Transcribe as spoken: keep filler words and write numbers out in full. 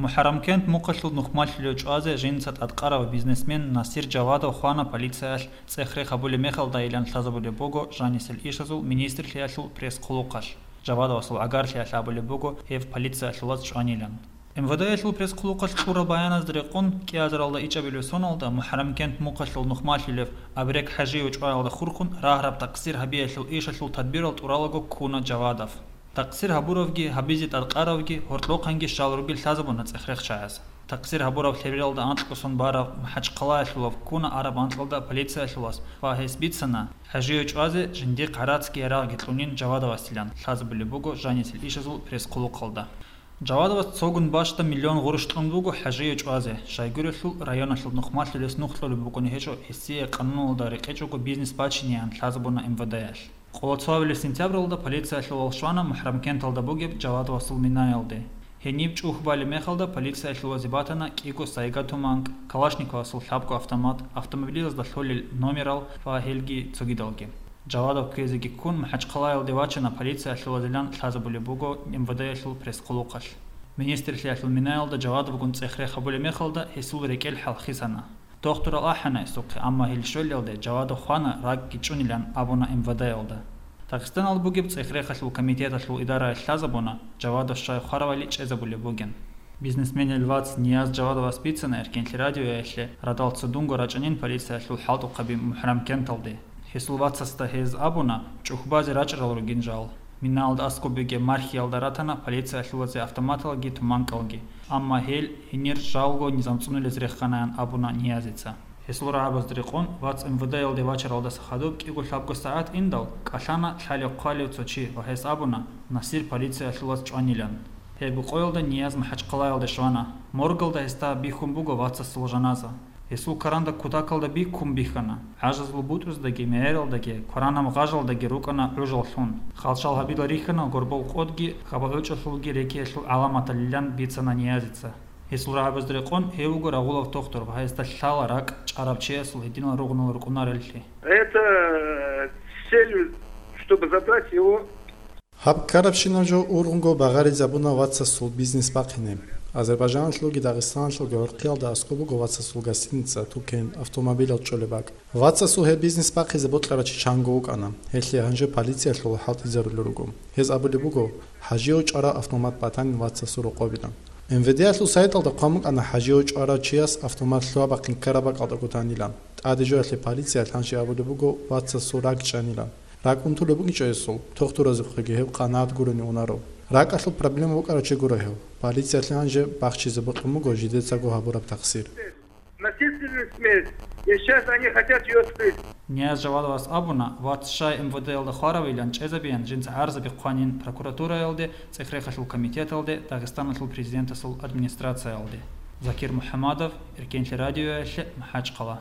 МухӀаррамкент мухъалъул нухмалъулев чӀвазе жинца тӀадкъарав бизнесмен Насир Жавадов хвана полициялъ цӀех-рех гьабулеб мехалдайилан лъазабулеб буго жанисел ишазул министрлъиялъул пресс-хъулухъалъ. Жавадовасул гӀагарлъиялъ абулеб буго гьев полициялъулаз чӀванилан. МВД-ялъул пресс-хъулухъалъ кьураб баяназда рекъон, кӀиазаралда ичӀабилев соналда МухӀаррамкент мухъалъул нухмалъулев Абрек ХӀажиев чӀваялда хурхун рагьараб такъсир гьабиялъул ишалъул тадбирал тӀуралаго ккуна Жавадов. Такъсир гьабуравги, гьабизе тӀадкъаравги гьоркьохъанги щал ругел лъазабуна цӀех-рехчагӀаз. Такъсир гьабураб лъебералда анкьго сон барав МахӀачхъалаялъулав ккуна араб анкьалда полициялъулас ва гьес бицана, ХӀажиев чӀвазе жиндихъ гӀарацги ярагъги кьунин Жавадовасилан лъазабулеб буго жанисел ишазул пресс-хъулухъалда. Жавадовас цогун бащда миллион гъурущ кьун буго ХӀажиев чӀвазе, щайгурелъул районалъул нухмалъулес нух кьолеб букӀунеб гьечӀо гьесие къануналда рекъечӀого бизнес бачинеян лъазабуна МВД-ялъ. Къоло цоабилеб сентябралда полициялъулал щвана МухӀаррамкенталда бугеб Жавадовасул минаялде. Гьениб чӀухь балеб мехалда полициялъулазе батана кӀиго Сайга туманкӀ, Калашниковасул лъабго автомат, автомобилазда лъолел номерал ва гьелги цогидалги. Жавадов кквезеги ккун МахӀачхъалаялде вачана полициялъулазилан лъазабулеб буго МВД-ялъул пресс-хъулухъалъ. Министрлъиялъул минаялда Жавадовгун цӀех-рех гьабулеб мехалда гьесул рекӀел хӀалхисана. Дохтурал ахӀана гьесухъе, амма гьел щвелалде Жавадов хвана ракӀги чӀунилан абуна МВД-ялда. Дагъистаналда бугеб цӀех-рехалъул комитеталъул идараялъ лъазабуна, Жавадов щай хваравали чӀезабулеб бугин. Бизнесменил вац Нияз Жавадовас бицана Эркенлъи радиоялъе радал цо дунго рачӀанин полициялъул хӀалтӀухъаби МухӀаррамкенталде. Гьесул вацасда гьез абуна, чӀухь базе рачӀарал ругин жал. Минаялда аскӀоб бугеб мархиялда ратана полициялъулазе автоматалги туманкӀалги, амма гьел гьенир жалго низам цӀунулез реханаян абуна Ниязица. Гьесул рагӀабазда рекъон, вац МВД-ялде вачаралдаса хадуб кӀиго-лъабго сагӀат индал, кӀалъана лъалев-хъвалев цо чи ва гьес абуна, Насир полициялъулаз чӀванилан. Гьеб къоялда Нияз МахӀачхъалаялде щвана. Моргалда гьесда бихьун буго вацасул жаназа. Гьесул каранда кутакалда биккун бихьана. ГӀажазул бутӀруздаги мегӀералдаги, кваранаб гъажалдаги рукӀана гӀужал лъун. Хал-шал гьабила рихьана горбол къодги, хабал гӀочӀолъулги рекиялъул гӀаламаталилан бицана Ниязица. Гьесул рагӀабазда рекъон гьев вуго рагъулав тохтур ва гьесда лъала ракӀ чӀараб чиясул гьединал ругъунал рукӀунареллъи. Это, э, с целью, чтобы забрать его. Гьаб ккарабщинаб жо ургъунго багъаризабуна вацасул бизнес бахъине. Азербайжаналъулги Дагъистаналъулги гӀурхъиялда аскӀоб буго вацасул гостиница, тукен, автомобилал чӀолеб бакӀ. Вацасул гьеб бизнес бахъизе бокьарав чи чанго вукӀана, гьелъие гьанже полициялъул хӀалтӀизарулел руго. Гьез абулеб буго, ХӀажиев чӀвараб автомат батанин вацасул рокъобилан. МВД-ялъул сайталда хъван букӀана ХӀажиев чӀварав чияс автомат лъугьа-бахъин ккараб бакӀалда кутанилан. ТӀаде жоялъе полициялъ гьанже абулеб буго вацасул ракӀ чӀанилан. РакӀ унтулеб бугичӀо гьесул, тохтуразухъеги гьев къанагӀат гурони унаро. РакӀалъул проблема букӀарав чи гуро гьев. Полициялъе гьанже бахчизе бокьун буго жидецаго гьабураб такъсир. Насильственная смерть. И сейчас они хотят её скрыть. Нияз Жавадовас абуна, вац щай МВД-ялда хваравилан чӀезабеян жинца гӀарзаби хъванин прокуратураялде, цӀех-рехалъул комитеталде, Дагъистаналъул президентасул администрациялде. Закир МухӀамадов, Эркенлъи радиоялъе, МахӀачхъала.